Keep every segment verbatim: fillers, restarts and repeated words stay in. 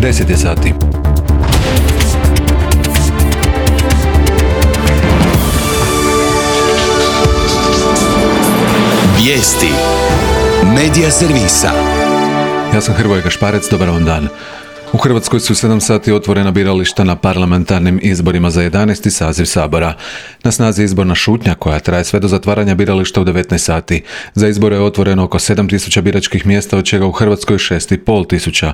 deset je sati. Vijesti Medija servisa. Ja sam Hrvoje Gašparec, dobar vam dan. U Hrvatskoj su sedam sati otvorena birališta na parlamentarnim izborima za jedanaesti saziv Sabora. Na snazi je izborna šutnja koja traje sve do zatvaranja birališta u devetnaest sati. Za izbore je otvoreno oko sedam tisuća biračkih mjesta, od čega u Hrvatskoj šest i pol tisuća.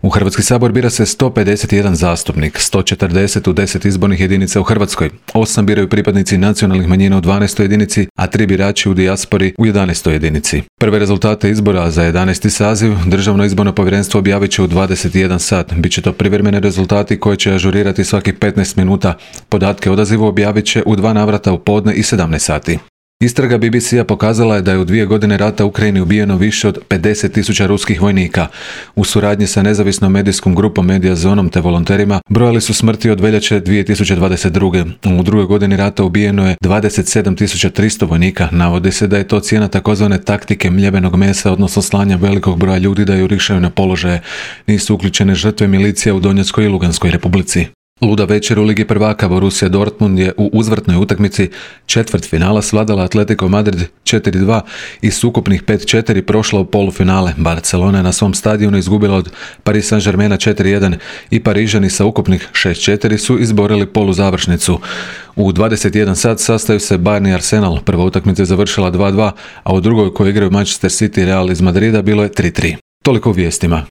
U Hrvatski sabor bira se sto pedeset jedan zastupnik, sto četrdeset u deset izbornih jedinica u Hrvatskoj, osam biraju pripadnici nacionalnih manjina u dvanaestoj jedinici, a tri birači u dijaspori u jedanaestoj jedinici. Prve rezultate izbora za jedanaesti saziv Državno izborno povjerenstvo objavit će u dvadeset jedan sat. Biće to privremeni rezultati koje će ažurirati svakih petnaest minuta. Podatke o odazivu objavit će u dva navrata u podne i sedamnaest sati. Istraga B B C-a pokazala je da je u dvije godine rata u Ukrajini ubijeno više od pedeset tisuća ruskih vojnika. U suradnji sa nezavisnom medijskom grupom Mediazonom te volonterima brojali su smrti od veljače dvije tisuće dvadeset druge. U drugoj godini rata ubijeno je dvadeset sedam tisuća tristo vojnika. Navodi se da je to cijena takozvane taktike mljevenog mesa, odnosno slanja velikog broja ljudi da jurišaju na položaje. Nisu uključene žrtve milicija u Donjeckoj i Luganskoj republici. Luda večer u Ligi prvaka. Borussia Dortmund je u uzvratnoj utakmici četvrt finala svladala Atletico Madrid četiri dva i s ukupnih pet četiri prošla u polufinale. Barcelona je na svom stadionu izgubila od Paris Saint-Germaina četiri jedan i Parižani sa ukupnih šest četiri su izborili poluzavršnicu. U dvadeset jedan sat sastaju se Bayern i Arsenal. Prva utakmica je završila dva dva, a u drugoj, koju igraju Manchester City i Real iz Madrida, bilo je tri tri. Toliko u vijestima.